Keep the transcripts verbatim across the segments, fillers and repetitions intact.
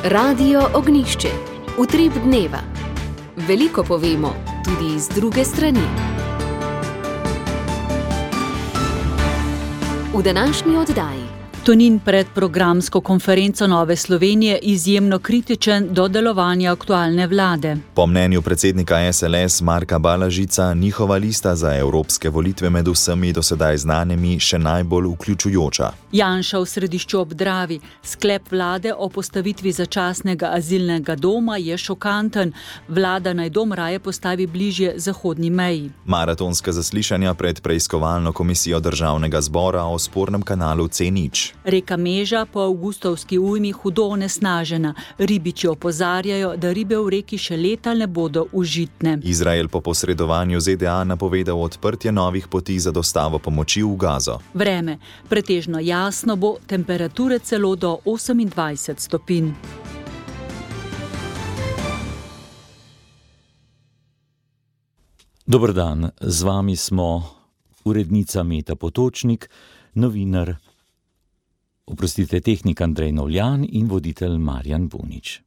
Radio Ognjišče. Utrip dneva. Veliko povemo, tudi iz druge strani. V današnji oddaji. Tonin pred programsko konferenco Nove Slovenije izjemno kritičen do delovanja aktualne vlade. Po mnenju predsednika es el es Marka Balažica, njihova lista za evropske volitve med vsemi dosedaj znanimi še najbolj vključujoča. Janša v Središču ob Dravi. Sklep vlade o postavitvi začasnega azilnega doma je šokanten. Vlada naj dom raje postavi bližje zahodni meji. Maratonska zaslišanja pred preiskovalno komisijo Državnega zbora o spornem kanalu C nič. Reka Meža po avgustovski ujmi hudo onesnažena. Ribiči opozarjajo, da ribe v reki še leta ne bodo užitne. Izrael po posredovanju ze de a napovedal odprtje novih poti za dostavo pomoči v Gazo. Vreme. Pretežno jasno bo, temperature celo do osemindvajset stopinj. Dober dan, z vami smo urednica Meta Potočnik, novinar Oprostite, tehnik Andrej Novljan in voditelj Marjan Bunič.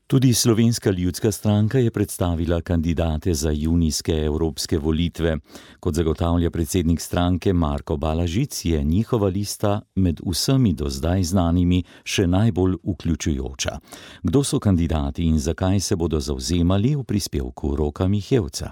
Tudi Slovenska ljudska stranka je predstavila kandidate za junijske evropske volitve. Kot zagotavlja predsednik stranke Marko Balažic, je njihova lista med vsemi do zdaj znanimi še najbolj vključujoča. Kdo so kandidati in zakaj se bodo zavzemali, v prispevku Roka Mihevca.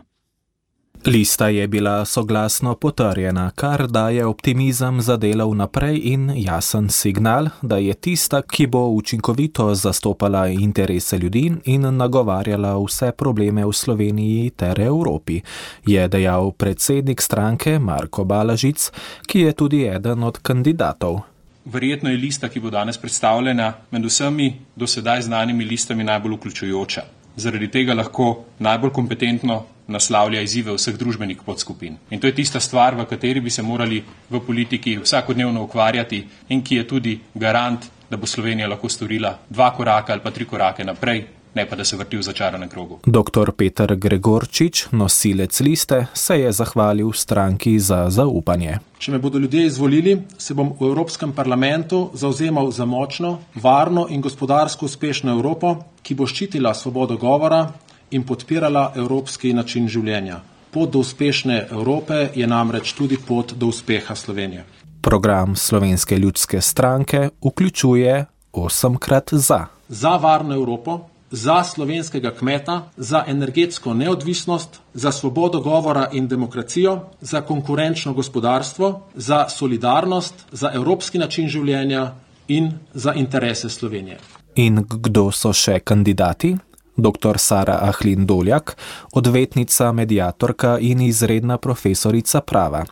Lista je bila soglasno potrjena, kar daje optimizem za delo vnaprej in jasen signal, da je tista, ki bo učinkovito zastopala interese ljudi in nagovarjala vse probleme v Sloveniji ter Evropi, je dejal predsednik stranke Marko Balažic, ki je tudi eden od kandidatov. Verjetno je lista, ki bo danes predstavljena, med vsemi do sedaj znanimi listami najbolj vključujoča. Zaradi tega lahko najbolj kompetentno naslavlja izzive vseh družbenih podskupin. In to je tista stvar, v kateri bi se morali v politiki vsakodnevno ukvarjati in ki je tudi garant, da bo Slovenija lahko storila dva koraka ali pa tri korake naprej, ne pa da se vrti v začaranem krogu. Doktor Peter Gregorčič, nosilec liste, se je zahvalil stranki za zaupanje. Če me bodo ljudje izvolili, se bom v Evropskem parlamentu zavzemal za močno, varno in gospodarsko uspešno Evropo, ki bo ščitila svobodo govora in podpirala evropski način življenja. Pot do uspešne Evrope je namreč tudi pot do uspeha Slovenije. Program Slovenske ljudske stranke vključuje osemkrat za. Za varno Evropo, za slovenskega kmeta, za energetsko neodvisnost, za svobodo govora in demokracijo, za konkurenčno gospodarstvo, za solidarnost, za evropski način življenja in za interese Slovenije. In kdo so še kandidati? Doktor Sara Ahlin Doljak, odvetnica, mediatorka in izredna profesorica prava.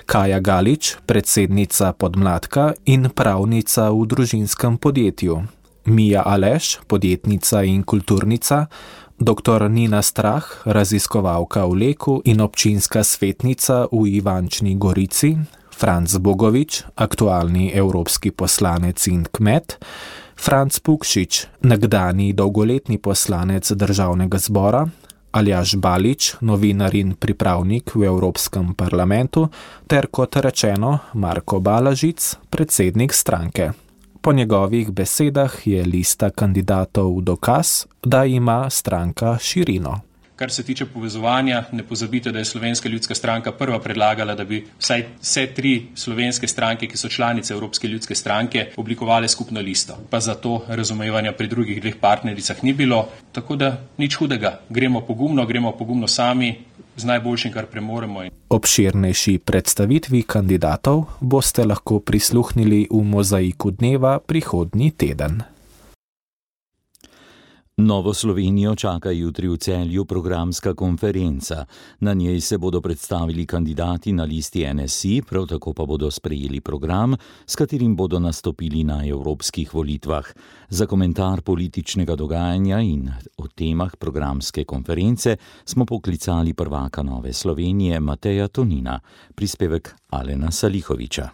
Kaja Galič, predsednica Podmladka in pravnica v družinskem podjetju. Mija Aleš, podjetnica in kulturnica, doktor Nina Strah, raziskovalka v Leku in občinska svetnica v Ivančni Gorici, Franc Bogovič, aktualni evropski poslanec in kmet, Franc Pukšič, nekdani dolgoletni poslanec Državnega zbora, Aljaž Balič, novinar in pripravnik v Evropskem parlamentu, ter kot rečeno Marko Balažic, predsednik stranke. Po njegovih besedah je lista kandidatov dokaz, da ima stranka širino. Kar se tiče povezovanja, ne pozabite, da je Slovenska ljudska stranka prva predlagala, da bi vsaj vse tri slovenske stranke, ki so članice Evropske ljudske stranke, oblikovale skupno listo. Pa zato razumevanja pri drugih dveh partnericah ni bilo, tako da nič hudega. Gremo pogumno, gremo pogumno sami, z najboljšim, kar premoremo. Obširnejši predstavitvi kandidatov boste lahko prisluhnili v Mozaiku dneva prihodnji teden. Novo Slovenijo čaka jutri v Celju programska konferenca. Na njej se bodo predstavili kandidati na listi en es i, prav tako pa bodo sprejeli program, s katerim bodo nastopili na evropskih volitvah. Za komentar političnega dogajanja in o temah programske konference smo poklicali prvaka Nove Slovenije Mateja Tonina, prispevek Alena Salihoviča.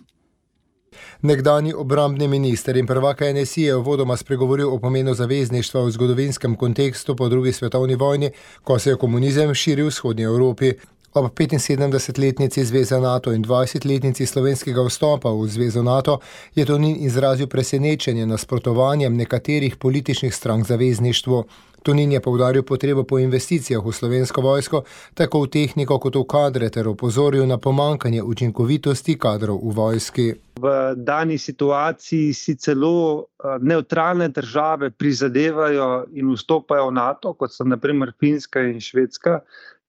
Nekdanji obrambni minister in prvak en es i je uvodoma spregovoril o pomenu zavezništva v zgodovinskem kontekstu po drugi svetovni vojni, ko se je komunizem širil v vzhodnji Evropi. Ob petinsedemdesetletnici Zveze NATO in dvajsetletnici slovenskega vstopa v Zvezo NATO je Tonin izrazil presenečenje nasprotovanjem nekaterih političnih strank zavezništvu. Tonin je poudaril potrebo po investicijah v slovensko vojsko, tako v tehniko kot v kadre, ter opozoril na pomanjkanje učinkovitosti kadrov v vojski. V dani situaciji si celo nevtralne države prizadevajo in vstopajo v NATO, kot so na primer Finska in Švedska.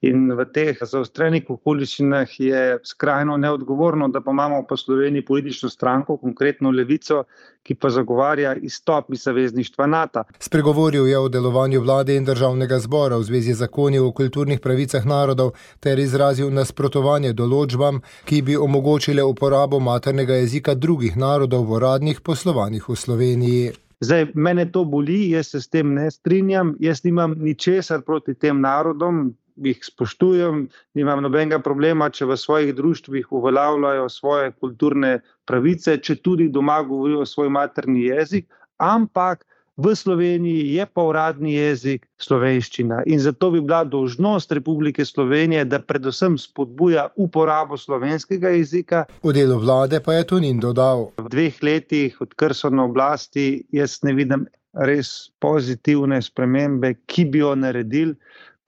In v teh zaostrenih okoliščinah je skrajno neodgovorno, da pa imamo po Sloveniji politično stranko, konkretno Levico, ki pa zagovarja izstop iz zavezništva NATO. Spregovoril je o delovanju vlade in državnega zbora v zvezi z zakoni o kulturnih pravicah narodov ter izrazil nasprotovanje določbam, ki bi omogočile uporabo maternega jezika drugih narodov v uradnih poslovanjih v Sloveniji. Zdaj, mene to boli, jaz se s tem ne strinjam, jaz nimam ničesar proti tem narodom, jih spoštujem, nimam nobenega problema, če v svojih društvih uveljavljajo svoje kulturne pravice, če tudi doma govorijo svoj materni jezik, ampak v Sloveniji je pa uradni jezik slovenščina in zato bi bila dolžnost Republike Slovenije, da predvsem spodbuja uporabo slovenskega jezika. V delu vlade pa je Tonin dodal: V dveh letih, odkar so na oblasti, jaz ne vidim res pozitivne spremembe, ki bi jo naredili.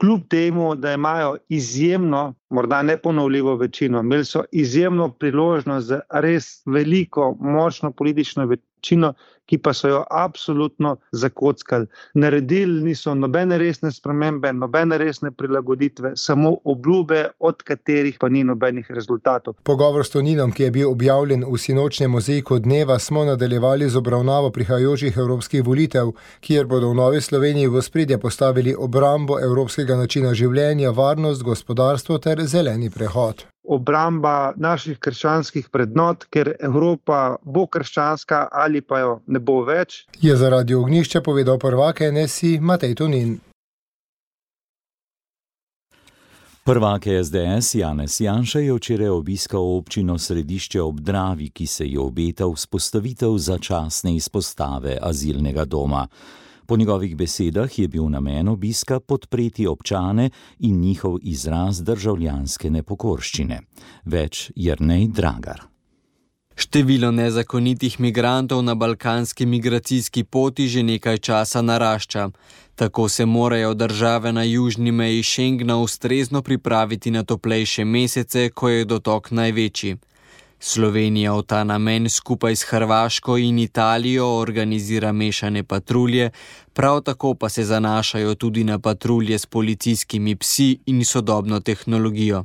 Kljub temu, da imajo izjemno, morda neponovljivo večino, imeli so izjemno priložnost za res veliko, močno politično večino, ki pa so jo absolutno zakockali. Naredili niso nobene resne spremembe, nobene resne prilagoditve, samo obljube, od katerih pa ni nobenih rezultatov. Pogovor s Toninom, ki je bil objavljen v sinočnjem mozaiku dneva, smo nadaljevali z obravnavo prihajajočih evropskih volitev, kjer bodo v Novi Sloveniji v ospredje postavili obrambo evropskega načina življenja, varnost, gospodarstvo ter zeleni prehod. Obramba naših krščanskih vrednot, ker Evropa bo krščanska ali pa jo ne bo več, je za Radio Ognjišče povedal prvak N S I Matej Tonin. Prvak S D S Janez Janša je včeraj obiskal občino Središče ob Dravi, ki se je obeta vzpostavitev začasne izpostave azilnega doma. Po njegovih besedah je bil namen obiska podpreti občane in njihov izraz državljanske nepokorščine. Več Jernej Dragar. Število nezakonitih migrantov na balkanski migracijski poti že nekaj časa narašča. Tako se morajo države na južni meji Schengna ustrezno pripraviti na toplejše mesece, ko je dotok največji. Slovenija v ta namen skupaj s Hrvaško in Italijo organizira mešane patrulje, prav tako pa se zanašajo tudi na patrulje s policijskimi psi in sodobno tehnologijo.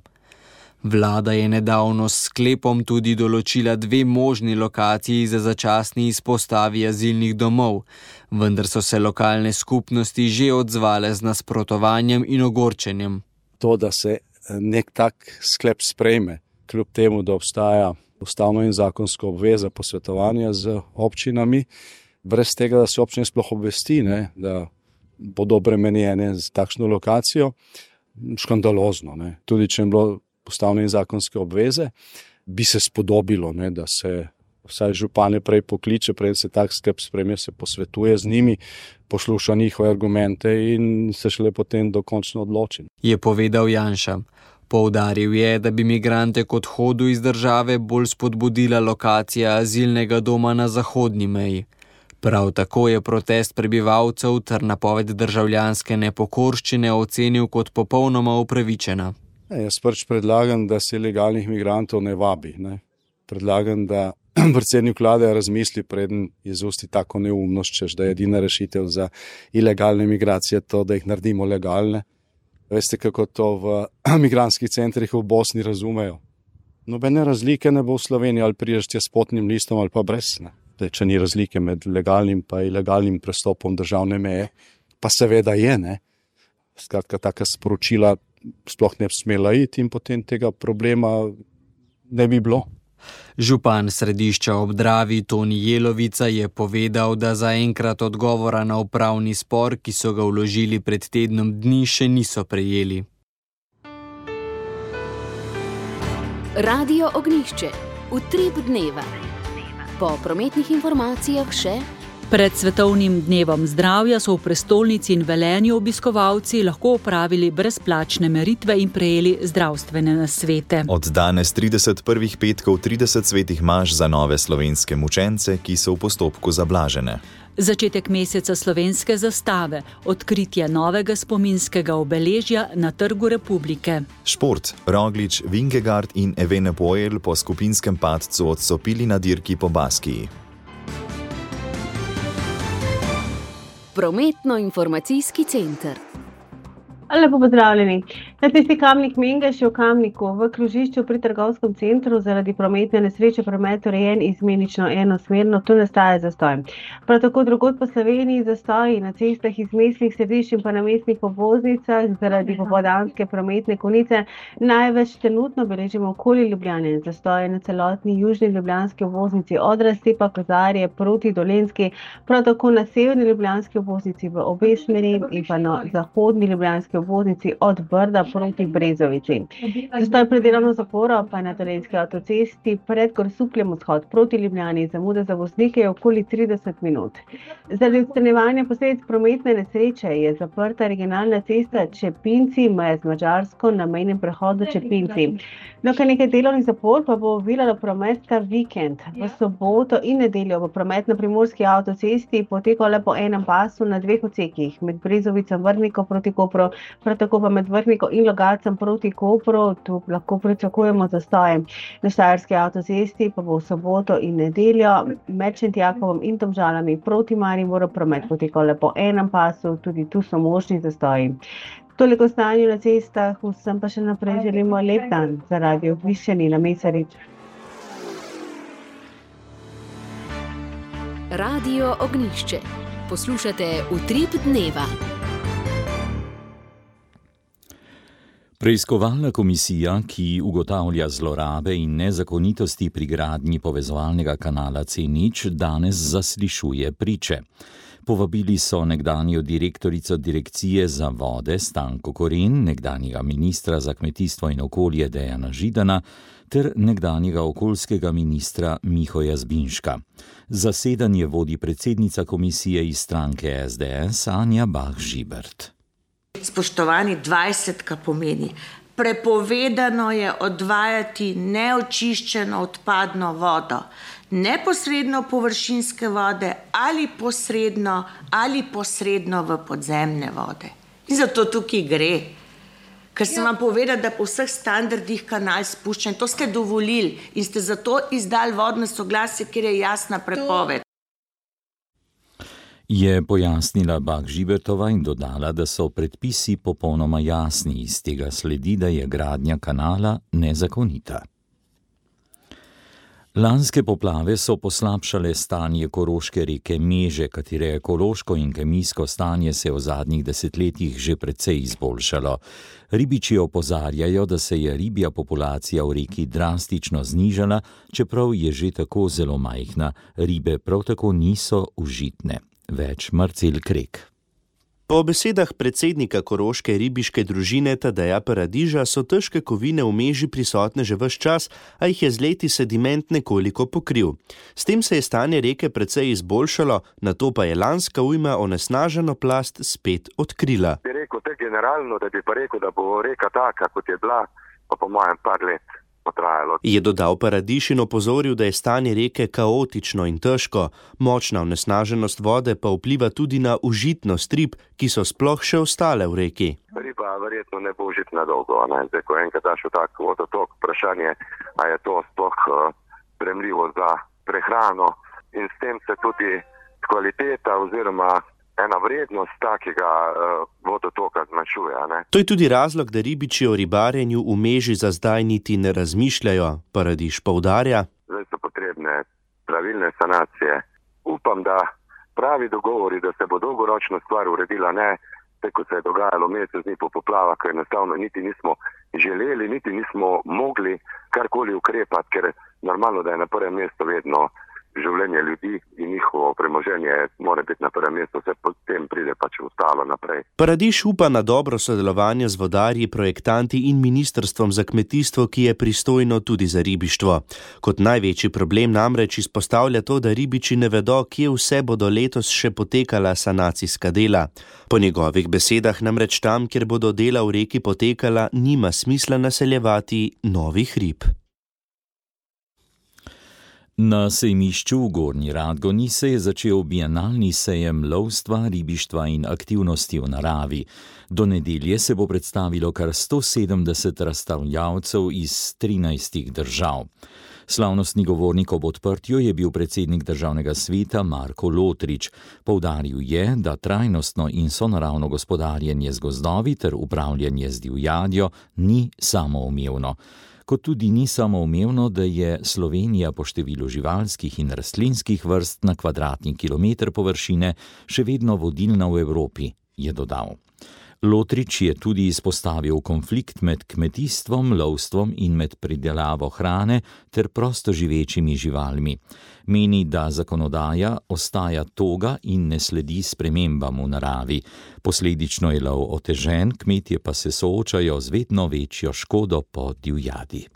Vlada je nedavno s sklepom tudi določila dve možni lokaciji za začasni izpostavi azilnih domov, vendar so se lokalne skupnosti že odzvale z nasprotovanjem in ogorčenjem. To, da se nek tak sklep sprejme, kljub temu, da obstaja ustavno in zakonsko obveza posvetovanja z občinami, brez tega, da se občine sploh obvesti, ne, da bodo obremenjene z takšno lokacijo, škandalozno. Ne. Tudi če je bilo ustavne in zakonske obveze, bi se spodobilo, ne, da se vsaj župane prej pokliče, prej se tak sklep sprejme, se posvetuje z njimi, posluša njihove argumente in se šele potem dokončno odloči. Je povedal Janša. Poudaril je, da bi migrante k odhodu iz države bolj spodbudila lokacija azilnega doma na zahodni meji. Prav tako je protest prebivalcev ter napoved državljanske nepokorščine ocenil kot popolnoma upravičena. Ja, jaz prvič predlagam, da se ilegalnih migrantov ne vabi. Ne. Predlagam, da predsednik vlade razmisli, preden izusti tako neumnost, češ, da je edina rešitev za ilegalne migracije to, da jih naredimo legalne. Veste, kako to v migrantskih centrih v Bosni razumejo? Nobene razlike ne bo v Sloveniji, ali prideš tja s potnim listom ali pa brez. Ne. Daj, če ni razlike med legalnim pa ilegalnim prestopom državne meje, pa seveda je. Ne. Skratka, taka sporočila sploh ne bi smela iti in potem tega problema ne bi bilo. Župan Središča ob Dravi Toni Jelovica je povedal, da zaenkrat odgovora na upravni spor, ki so ga vložili pred tednom dni, še niso prejeli. Radio Ognjišče, utrip dneva. Po prometnih informacijah še Pred svetovnim dnevom zdravja so v prestolnici in Velenju obiskovalci lahko opravili brezplačne meritve in prejeli zdravstvene nasvete. Od danes trideset prvih petkov trideset svetih maš za nove slovenske mučence, ki so v postopku zablažene. Začetek meseca slovenske zastave, odkritje novega spominskega obeležja na Trgu Republike. Šport, Roglič, Vingegaard in Evenepoel po skupinskem padcu odstopili na dirki po Baskiji. Prometno-informacijski center. Lepo pozdravljeni. Na cesti Kamnik-Mengeš je v Kamniku v krožišču pri trgovskem centru zaradi prometne nesreče promet urejen izmenično enosmerno, tu nastaja zastoj. Prav tako drugod po Sloveniji zastoji na cestah iz mestnih središč in pa na mestnih obvoznicah zaradi popoldanske prometne konice. Največ trenutno beležimo okoli Ljubljane, zastoje na celotni južni ljubljanski obvoznici od razcepa Kozarje proti Dolenjski, prav tako na severni ljubljanski obvoznici v obe smeri in pa na zahodni ljubljanski obvoznici od Brda proti Brezovici. Zastoj pred delovno zaporo pa na Dolenjski avtocesti pred Grosupljem vzhod proti Ljubljani, zamuda za voznike je okoli trideset minut. Zaradi odstranjevanja posledic prometne nesreče je zaprta regionalna cesta Čepinci, meja z Madžarsko na mejnem prehodu Čepinci. Dokaj nekaj delovnih zapor pa bo oviralo promet ta vikend. V soboto in nedeljo bo promet na primorski avtocesti potekal le po enem pasu na dveh odsekih, med Brezovicem Vrhnikom proti Kopru, prav tako pa med Vrhnikom in Logatcem proti Kopru, tu lahko pričakujemo zastoje. Na štajerski avtocesti pa bo v soboto in nedeljo med Šentjakovom in Domžalami proti Mariboru promet potekal le po enem pasu, tudi tu so možni zastoji. Toliko stanju na cestah, vsem pa še naprej želimo lep dan za Radio Višeni na Mesarič. Radio Ognjišče. Poslušate Utrip dneva. Preiskovalna komisija, ki ugotavlja zlorabe in nezakonitosti pri gradnji povezovalnega kanala C nič, danes zaslišuje priče. Povabili so nekdanjo direktorico Direkcije za vode Stanko Koren, nekdanjega ministra za kmetijstvo in okolje Dejana Židana ter nekdanjega okoljskega ministra Mihoja Zbinška. Zasedanje vodi predsednica komisije iz stranke S D S Anja Bah Žibert. Spoštovani, dvajsetka pomeni: prepovedano je odvajati neočiščeno odpadno vodo, neposredno površinske vode ali posredno ali posredno v podzemne vode. In zato tukaj gre. Ker sem vam povedala, da po vseh standardih kanal spuščen, to ste dovolili in ste zato izdali vodno soglasje, kjer je jasna prepoved. Je pojasnila Bah Žibertova in dodala, da so predpisi popolnoma jasni, iz tega sledi, da je gradnja kanala nezakonita. Lanske poplave so poslabšale stanje koroške reke Meže, katere ekološko in kemijsko stanje se je v zadnjih desetletjih že precej izboljšalo. Ribiči opozarjajo, da se je ribja populacija v reki drastično znižala, čeprav je že tako zelo majhna. Ribe prav tako niso užitne. Več Marcel Krek. Po besedah predsednika koroške ribiške družine Tadeja Paradiža so težke kovine v Meži prisotne že ves čas, a jih je z leti sediment nekoliko pokril. S tem se je stanje reke precej izboljšalo, nato pa je lanska ujma onesnaženo plast spet odkrila. Bi rekel te generalno, da bi pa rekel, da bo reka taka, kot je bila, pa po mojem par let potrajalo. Je dodal Paradiž in opozoril, da je stanje reke kaotično in težko. Močna onesnaženost vode pa vpliva tudi na užitnost rib, ki so sploh še ostale v reki. Riba verjetno ne bo užitna dolgo, ne? Zdaj, ko enkrat daš v tak vodotok, vprašanje, a je to sploh uh, sprejemljivo za prehrano in s tem se tudi kvaliteta oziroma ena vrednost takega uh, vodotoka zmanjšuje. Ne? To je tudi razlog, da ribiči o ribarjenju v Meži za zdaj niti ne razmišljajo, Paradiž poudarja. Zdaj so potrebne pravilne sanacije. Upam, da pravi dogovori, da se bo dolgoročno stvar uredila, ne tako se je dogajalo mesec dni po poplavah, ker enostavno niti nismo želeli, niti nismo mogli karkoli ukrepati, ker normalno, da je na prvem mestu vedno življenje ljudi in njihovo premoženje mora biti na prvem mestu, vse potem pride pač ostalo naprej. Paradiž upa na dobro sodelovanje z vodarji, projektanti in ministrstvom za kmetijstvo, ki je pristojno tudi za ribištvo. Kot največji problem namreč izpostavlja to, da ribiči ne vedo, kje vse bodo letos še potekala sanacijska dela. Po njegovih besedah namreč tam, kjer bodo dela v reki potekala, nima smisla naseljevati novih rib. Na sejmišču v Gornji Radgoni se je začel bienalni sejem lovstva, ribištva in aktivnosti v naravi. Do nedelje se bo predstavilo kar sto sedemdeset razstavljavcev iz trinajstih držav. Slavnostni govornik ob odprtju je bil predsednik državnega sveta Marko Lotrič. Poudaril je, da trajnostno in sonaravno gospodarjenje z gozdovi ter upravljanje z divjadjo ni samoumevno. Kot tudi ni samoumevno, da je Slovenija po številu živalskih in rastlinskih vrst na kvadratni kilometer površine še vedno vodilna v Evropi, je dodal. Lotrič je tudi izpostavil konflikt med kmetijstvom, lovstvom in med pridelavo hrane ter prostoživečimi živalmi. Meni, da zakonodaja ostaja toga in ne sledi spremembam v naravi. Posledično je lov otežen, kmetje pa se soočajo z vedno večjo škodo po divjadi.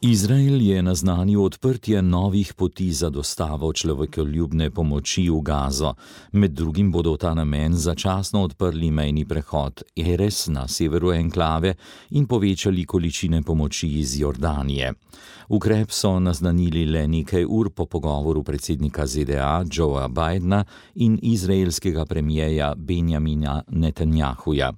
Izrael je naznanil odprtje novih poti za dostavo človekoljubne pomoči v Gazo. Med drugim bodo v ta namen začasno odprli mejni prehod Erez na severu enklave in povečali količine pomoči iz Jordanije. Ukrep so naznanili le nekaj ur po pogovoru predsednika Z D A Joea Bidena in izraelskega premijeja Benjamina Netanjahuja.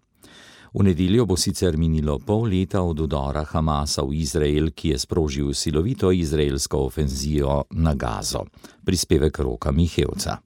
V nedeljo bo sicer minilo pol leta od udora Hamasa v Izrael, ki je sprožil silovito izraelsko ofenzijo na Gazo. Prispevek Roka Mihevca.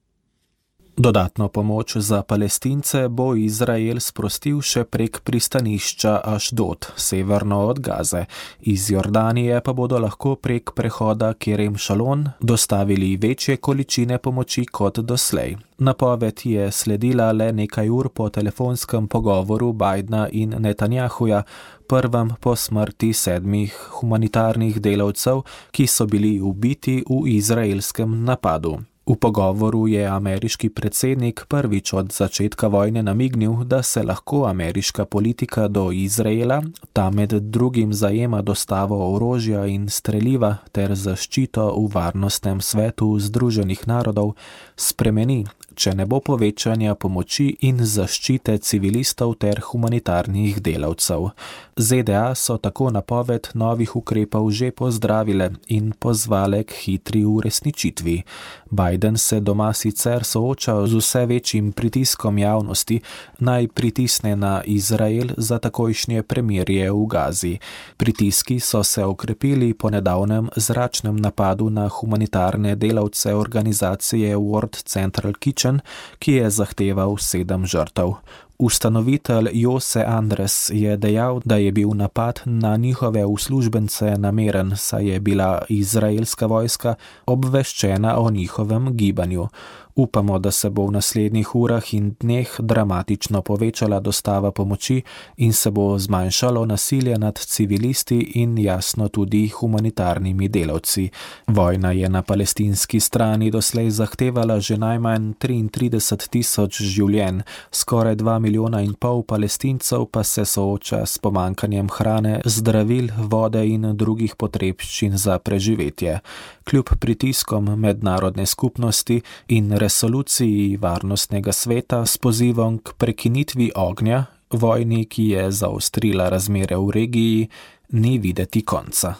Dodatno pomoč za Palestince bo Izrael sprostil še prek pristanišča Ašdod, severno od Gaze. Iz Jordanije pa bodo lahko prek prehoda Kerem Šalon dostavili večje količine pomoči kot doslej. Napoved je sledila le nekaj ur po telefonskem pogovoru Bidena in Netanjahuja, prvem po smrti sedmih humanitarnih delavcev, ki so bili ubiti v izraelskem napadu. V pogovoru je ameriški predsednik prvič od začetka vojne namignil, da se lahko ameriška politika do Izraela, ta med drugim zajema dostavo orožja in streliva ter zaščito v varnostnem svetu Združenih narodov, spremeni, če ne bo povečanja pomoči in zaščite civilistov ter humanitarnih delavcev. Z D A so tako napoved novih ukrepov že pozdravile in pozvale k hitri uresničitvi. Biden se doma sicer sooča z vse večjim pritiskom javnosti, naj pritisne na Izrael za takojšnje premirje v Gazi. Pritiski so se okrepili po nedavnem zračnem napadu na humanitarne delavce organizacije World Central Kitchen, ki je zahteval sedem žrtev. Ustanovitelj Jose Andres je dejal, da je bil napad na njihove uslužbence nameren, saj je bila izraelska vojska obveščena o njihovem gibanju. Upamo, da se bo v naslednjih urah in dneh dramatično povečala dostava pomoči in se bo zmanjšalo nasilje nad civilisti in jasno tudi humanitarnimi delavci. Vojna je na palestinski strani doslej zahtevala že najmanj triintrideset tisoč življenj, skoraj dva milijona in pol Palestincev pa se sooča s pomanjkanjem hrane, zdravil, vode in drugih potrebščin za preživetje. Kljub pritiskom mednarodne skupnosti in resoluciji Varnostnega sveta s pozivom k prekinitvi ognja, vojni, ki je zaostrila razmere v regiji, ni videti konca.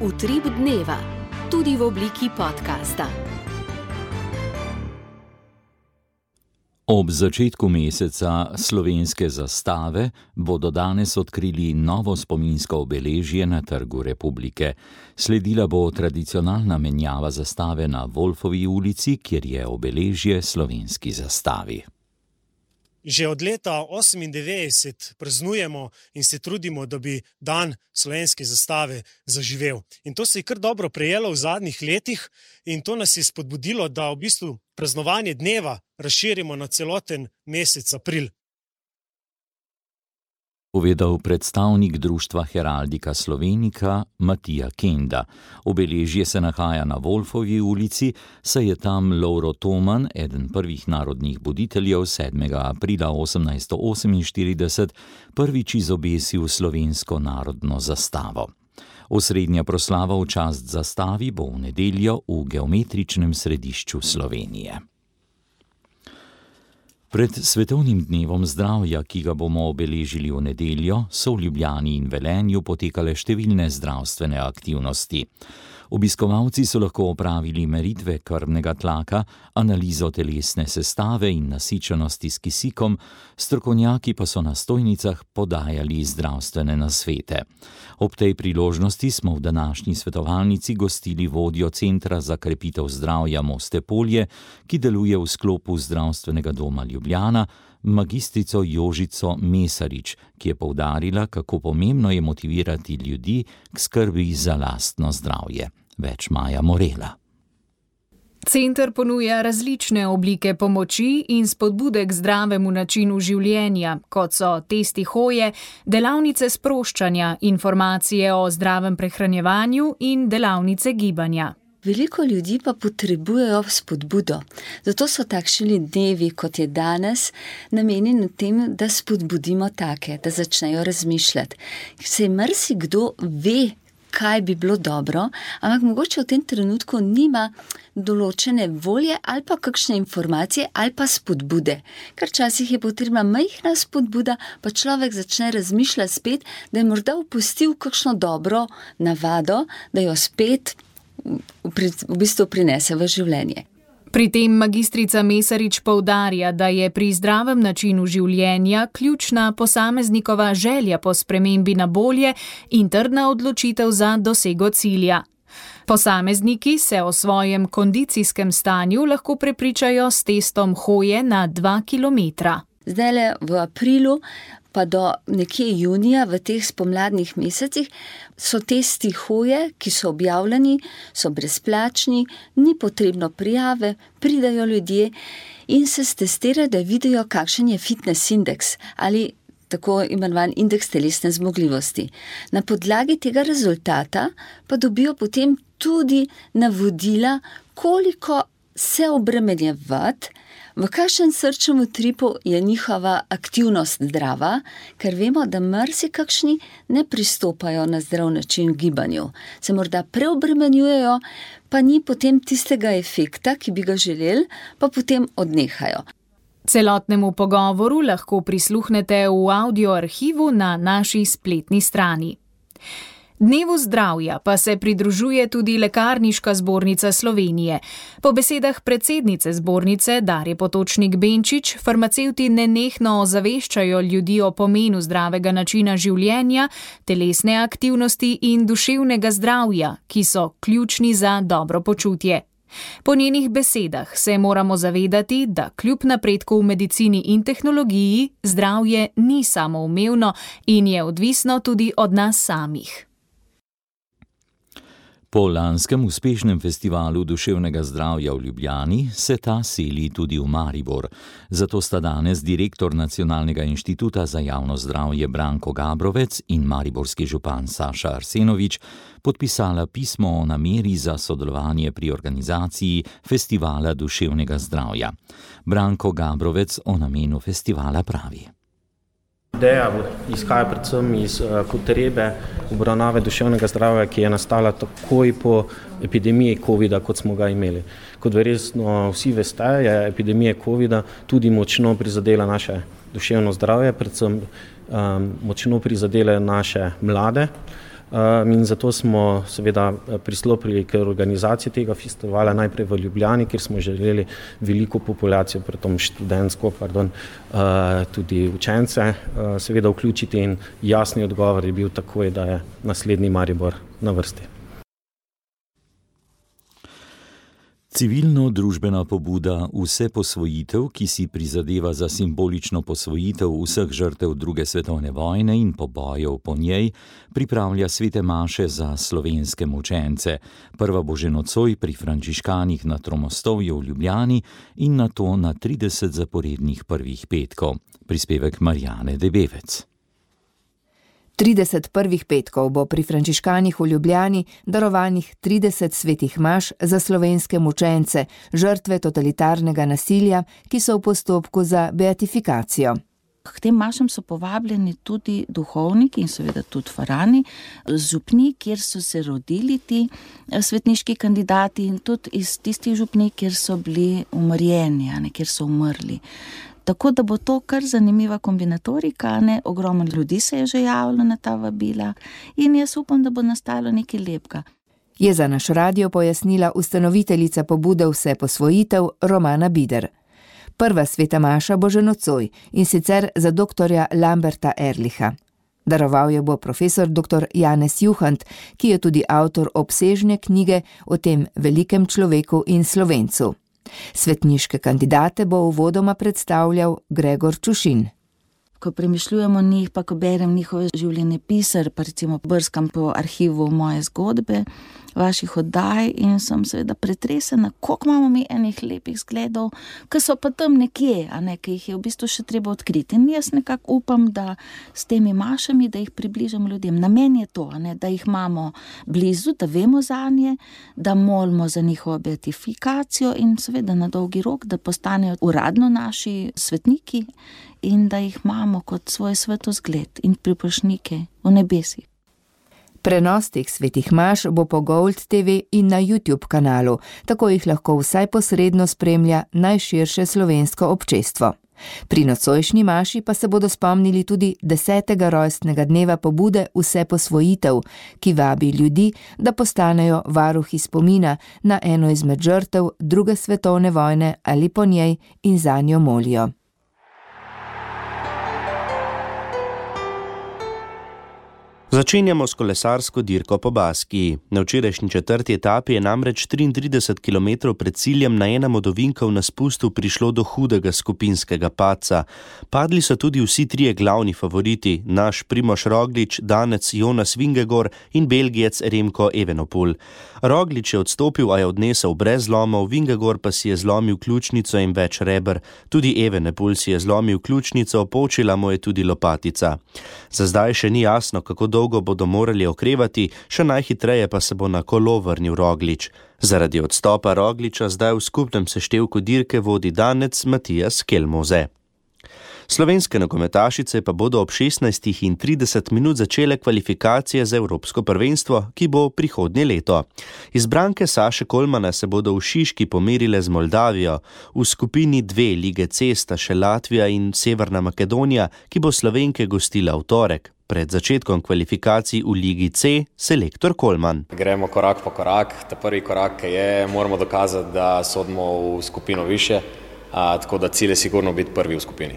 Utrip dneva, tudi v obliki podcasta. Ob začetku meseca slovenske zastave bodo danes odkrili novo spominsko obeležje na Trgu Republike. Sledila bo tradicionalna menjava zastave na Wolfovi ulici, kjer je obeležje slovenski zastavi. Že od leta osemindevetdeset praznujemo in se trudimo, da bi dan slovenske zastave zaživel. In to se je kar dobro prejelo v zadnjih letih in to nas je spodbudilo, da v bistvu praznovanje dneva razširimo na celoten mesec april. povedal predstavnik društva Heraldika Slovenika Matija Kenda. Obeležje se nahaja na Wolfovi ulici, saj je tam Lovro Toman, eden prvih narodnih buditeljev, sedmega aprila osemnajststo oseminštirideset prvič izobesil slovensko narodno zastavo. Osrednja proslava v čast zastavi bo v nedeljo v geometričnem središču Slovenije. Pred svetovnim dnevom zdravja, ki ga bomo obeležili v nedeljo, so v Ljubljani in Velenju potekale številne zdravstvene aktivnosti. Obiskovalci so lahko opravili meritve krvnega tlaka, analizo telesne sestave in nasičenosti s kisikom, strokovnjaki pa so na stojnicah podajali zdravstvene nasvete. Ob tej priložnosti smo v današnji svetovalnici gostili vodjo Centra za krepitev zdravja Moste Polje, ki deluje v sklopu Zdravstvenega doma Ljubljana, magistrico Jožico Mesarič, ki je poudarila, kako pomembno je motivirati ljudi k skrbi za lastno zdravje. Več Maja Morela. Center ponuja različne oblike pomoči in spodbude k zdravemu načinu življenja, kot so testi hoje, delavnice sproščanja, informacije o zdravem prehranjevanju in delavnice gibanja. Veliko ljudi pa potrebujejo spodbudo. Zato so takšni dnevi, kot je danes, namenjeni tem, da spodbudimo take, da začnejo razmišljati. Saj marsikdo ve, kaj bi bilo dobro, ampak mogoče v tem trenutku nima določene volje ali pa kakšne informacije ali pa spodbude. Ker včasih je potrebna majhna spodbuda, pa človek začne razmišljati spet, da je morda opustil kakšno dobro navado, da jo spet v bistvu prinese v življenje. Pri tem magistrica Mesarič poudarja, da je pri zdravem načinu življenja ključna posameznikova želja po spremembi na bolje in trdna odločitev za dosego cilja. Posamezniki se o svojem kondicijskem stanju lahko prepričajo s testom hoje na dva kilometra. Zdajle v aprilu pa do nekje junija v teh spomladnih mesecih so testi hoje, ki so objavljeni, so brezplačni, ni potrebno prijave, pridajo ljudje in se stestirajo, da vidijo, kakšen je fitness indeks ali tako imenovan indeks telesne zmogljivosti. Na podlagi tega rezultata pa dobijo potem tudi navodila, koliko se obremenjevati, v kakšen srčnem utripu je njihova aktivnost zdrava, ker vemo, da marsikakšni ne pristopajo na zdrav način gibanju. Se morda preobremenjujejo, pa ni potem tistega efekta, ki bi ga želeli, pa potem odnehajo. Celotnemu pogovoru lahko prisluhnete v audio arhivu na naši spletni strani. Dnevu zdravja pa se pridružuje tudi Lekarniška zbornica Slovenije. Po besedah predsednice zbornice Darje Potočnik Benčič, farmacevti nenehno ozaveščajo ljudi o pomenu zdravega načina življenja, telesne aktivnosti in duševnega zdravja, ki so ključni za dobro počutje. Po njenih besedah se moramo zavedati, da kljub napredku v medicini in tehnologiji zdravje ni samoumevno in je odvisno tudi od nas samih. Po lanskem uspešnem festivalu duševnega zdravja v Ljubljani se ta seli tudi v Maribor. Zato sta danes direktor Nacionalnega inštituta za javno zdravje Branko Gabrovec in mariborski župan Saša Arsenovič podpisala pismo o nameri za sodelovanje pri organizaciji festivala duševnega zdravja. Branko Gabrovec o namenu festivala pravi. Ideja izhaja predvsem iz potrebe obravnave duševnega zdravja, ki je nastala takoj po epidemiji covida, kot smo ga imeli. Kot verjetno vsi veste, je epidemija covida tudi močno prizadela naše duševno zdravje, predvsem um, močno prizadela naše mlade. Um, in zato smo seveda pristopili k organizaciji tega festivala najprej v Ljubljani, kjer smo želeli veliko populacijo, predvsem študentsko, pardon, uh, tudi učence, uh, seveda vključiti in jasni odgovor je bil takoj, da je naslednji Maribor na vrsti. Civilno-družbena pobuda Vse posvojitev, ki si prizadeva za simbolično posvojitev vseh žrtev druge svetovne vojne in pobojev po njej, pripravlja svete maše za slovenske mučence. Prva bo že nocoj pri frančiškanih na Tromostovju v Ljubljani in nato na trideset zaporednih prvih petkov. Prispevek Marjane Debevec. trideset prvih petkov bo pri frančiškanih v Ljubljani darovanih trideset svetih maš za slovenske mučence, žrtve totalitarnega nasilja, ki so v postopku za beatifikacijo. K tem mašam so povabljeni tudi duhovniki in seveda tudi farani, župni, kjer so se rodili ti svetniški kandidati in tudi iz tistih župni, kjer so bili umrjeni, a ne, kjer so umrli. Tako da bo to kar zanimiva kombinatorika, ne, ogromno ljudi se je že javilo na ta vabila in jaz upam, da bo nastalo nekaj lepega. Je za naš radio pojasnila ustanoviteljica pobude Vse posvojitev Romana Bider. Prva sveta maša bo že nocoj in sicer za doktorja Lamberta Erlicha. Daroval jo bo profesor doktor Janez Juhant, ki je tudi avtor obsežne knjige o tem velikem človeku in Slovencu. Svetniške kandidate bo uvodoma predstavljal Gregor Čušin. Ko premišljujemo njih, pa ko berem njihove življenjepise, pa recimo brskam po arhivu moje zgodbe, vaših oddaj in sem seveda pretresena, koliko imamo mi enih lepih zgledov, ki so pa tam nekje, a ne, ki jih je v bistvu še treba odkriti. In jaz nekako upam, da s temi mašami, da jih približam ljudem. Namen je to, a ne, da jih imamo blizu, da vemo zanje, da molimo za njihovo beatifikacijo in seveda na dolgi rok, da postanejo uradno naši svetniki in da jih imamo kot svoj svetozgled in priprošnike v nebesih. Prenos teh svetih maš bo po Gold te ve in na YouTube kanalu, tako jih lahko vsaj posredno spremlja najširše slovensko občestvo. Pri nocojšnji maši pa se bodo spomnili tudi desetega rojstnega dneva pobude Vse posvojitev, ki vabi ljudi, da postanejo varuhi spomina na eno izmed žrtev druge svetovne vojne ali po njej in zanjo molijo. Začenjamo s kolesarsko dirko po Baskiji. Na včerajšnji četrti etapi je namreč triintrideset kilometrov pred ciljem na enem od ovinkov na spustu prišlo do hudega skupinskega padca. Padli so tudi vsi trije glavni favoriti, naš Primož Roglič, Danec Jonas Vingegaard in Belgijec Remko Evenepoel. Roglič je odstopil, a je odnesel brez zlomov, Vingegaard pa si je zlomil ključnico in več reber. Tudi Evenepoel si je zlomil ključnico, počila mu je tudi lopatica. Za zdaj še ni jasno, kako dolgo bodo morali okrevati, še najhitreje pa se bo na kolo vrnil Roglič. Zaradi odstopa Rogliča zdaj v skupnem seštevku dirke vodi Danec Matijas Kelmoze. Slovenske nogometašice pa bodo ob šestnajstih in trideset minut začele kvalifikacije za Evropsko prvenstvo, ki bo prihodnje leto. Izbranke Saše Kolmana se bodo v Šiški pomerile z Moldavijo, v skupini dve lige C sta še Latvija in Severna Makedonija, ki bo Slovenke gostila v torek. Pred začetkom kvalifikacij v ligi C selektor Kolman. Gremo korak po korak. Ta prvi korak je, moramo dokazati, da sodimo v skupino više, a, tako da cilj je sigurno biti prvi v skupini.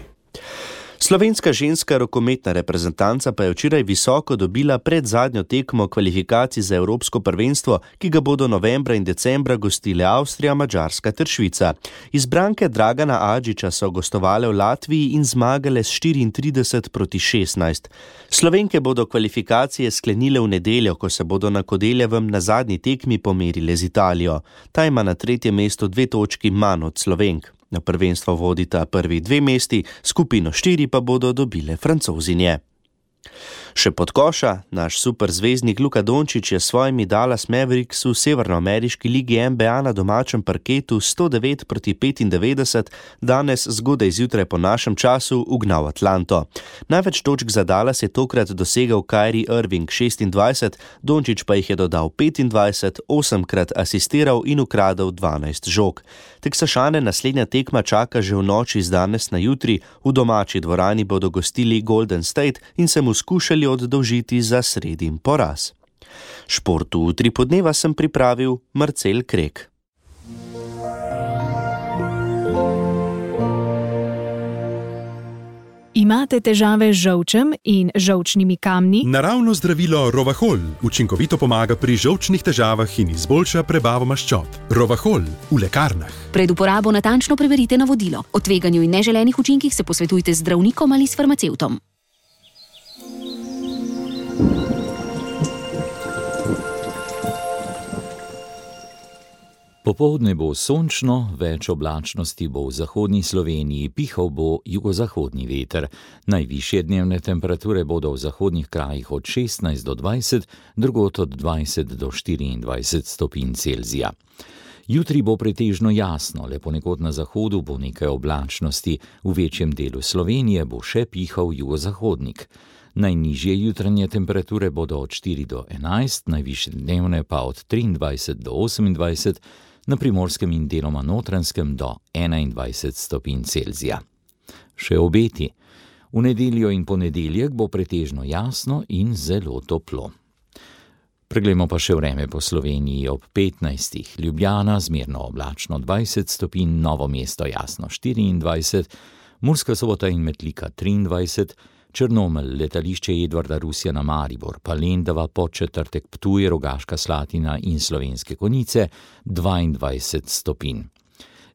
Slovenska ženska rokometna reprezentanca pa je včeraj visoko dobila pred zadnjo tekmo kvalifikacij za Evropsko prvenstvo, ki ga bodo novembra in decembra gostile Avstrija, Madžarska ter Švica. Izbranke Dragana Adžiča so gostovale v Latviji in zmagale s štiriintrideset proti šestnajst. Slovenke bodo kvalifikacije sklenile v nedeljo, ko se bodo na Kodeljevem na zadnji tekmi pomerile z Italijo. Ta ima na tretjem mestu dve točki manj od Slovenk. Na prvenstvo vodita prvi dve mesti, skupino štiri pa bodo dobile Francozinje. Še pod koša, naš superzvezdnik Luka Dončić je s svojimi Dallas Mavericks v severnoameriški ligi N B A na domačem parketu sto devet proti petindevetdeset danes zgodaj zjutraj po našem času ugnal Atlanto. Največ točk za Dallas je tokrat dosegel Kyrie Irving šestindvajset, Dončić pa jih je dodal petindvajset, osemkrat asistiral in ukradel dvanajst žog. Teksašane naslednja tekma čaka že v noči z danes na jutri, v domači dvorani bodo gostili Golden State in se mu skušali oddolžiti za sredin poraz. Športu utri podneva sem pripravil Marcel Krek. Imate težave z žolčem in žolčnimi kamni? Naravno zdravilo Rovahol učinkovito pomaga pri žolčnih težavah in izboljša prebavo maščob. Rovahol v lekarnah. Pred uporabo natančno preverite navodilo. O tveganju in neželenih učinkih se posvetujte z zdravnikom ali s farmacevtom. Popoldne bo sončno, več oblačnosti bo v zahodni Sloveniji, pihal bo jugozahodni veter. Najvišje dnevne temperature bodo v zahodnih krajih od šestnajst do dvajset, drugod od dvajset do štiriindvajset stopinj Celzija. Jutri bo pretežno jasno, le ponekod na zahodu bo nekaj oblačnosti, v večjem delu Slovenije bo še pihal jugozahodnik. Najnižje jutranje temperature bodo od štiri do enajst, najvišje dnevne pa od triindvajset do osemindvajset, na Primorskem in deloma Notranjskem do enaindvajset stopinj Celzija. Še obeti. V nedeljo in ponedeljek bo pretežno jasno in zelo toplo. Preglejmo pa še vreme po Sloveniji ob petnajstih. Ljubljana zmerno oblačno dvajset stopinj, Novo mesto jasno štiriindvajset, Murska Sobota in Metlika triindvajset, Črnomelj, letališče Edvarda Rusja na Maribor, pa Lendava, Podčetrtek, Ptuj, Rogaška Slatina in Slovenske Konjice dvaindvajset stopinj.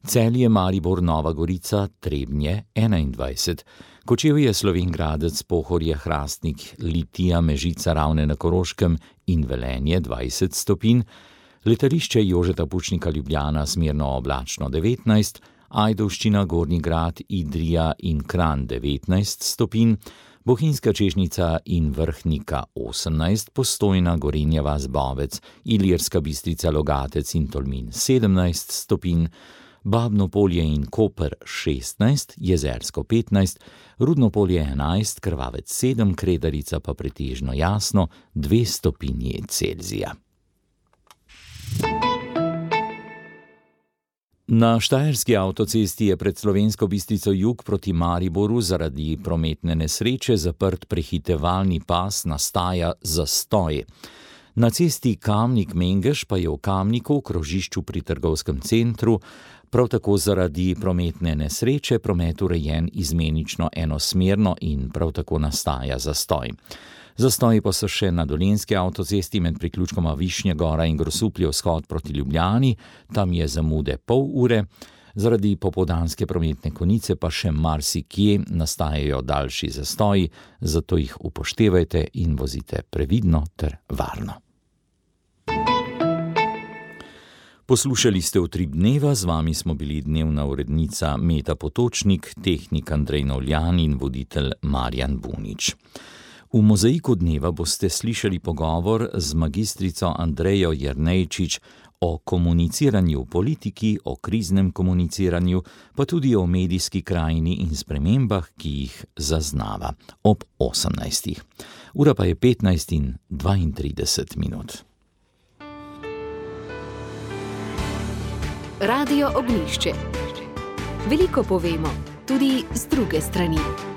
Celje, Maribor, Nova Gorica, Trebnje enaindvajset, Kočevje, Slovenj Gradec, Pohorje, Hrastnik, Litija, Mežica, Ravne na Koroškem in Velenje dvajset stopinj, letališče Jožeta Pučnika Ljubljana zmerno oblačno devetnajst, Ajdovščina, Gornji Grad, Idrija in Kranj devetnajst stopinj, Bohinjska Češnjica in Vrhnika osemnajst, Postojna, Gorenja vas, Bovec, Ilirska Bistrica, Logatec in Tolmin sedemnajst stopinj, Babno Polje in Koper šestnajst, Jezersko petnajst, Rudno Polje enajst, Krvavec sedem, Kredarica pa pretežno jasno dve stopinji Celzija. Na štajerski avtocesti je pred Slovensko Bistrico jug proti Mariboru zaradi prometne nesreče zaprt prehitevalni pas, nastaja zastoj. Na cesti Kamnik-Mengeš pa je v Kamniku, krožišču pri trgovskem centru, prav tako zaradi prometne nesreče promet urejen izmenično enosmerno in prav tako nastaja zastoj. Zastoji pa so še na Dolenjski avtocesti med priključkoma Višnja Gora in Grosuplje vzhod proti Ljubljani, tam je zamude pol ure, zaradi popoldanske prometne konice pa še marsikje nastajajo daljši zastoji, zato jih upoštevajte in vozite previdno ter varno. Poslušali ste Utrip dneva, z vami smo bili dnevna urednica Meta Potočnik, tehnik Andrej Novljan in voditelj Marjan Bunič. V Mozaiku dneva boste slišali pogovor z magistrico Andrejo Jernejčič o komuniciranju v politiki, o kriznem komuniciranju, pa tudi o medijski krajini in spremembah, ki jih zaznava ob osemnajstih. Ura pa je petnajst in dvaintrideset minut. Radio Ognjišče. Veliko povemo, tudi z druge strani.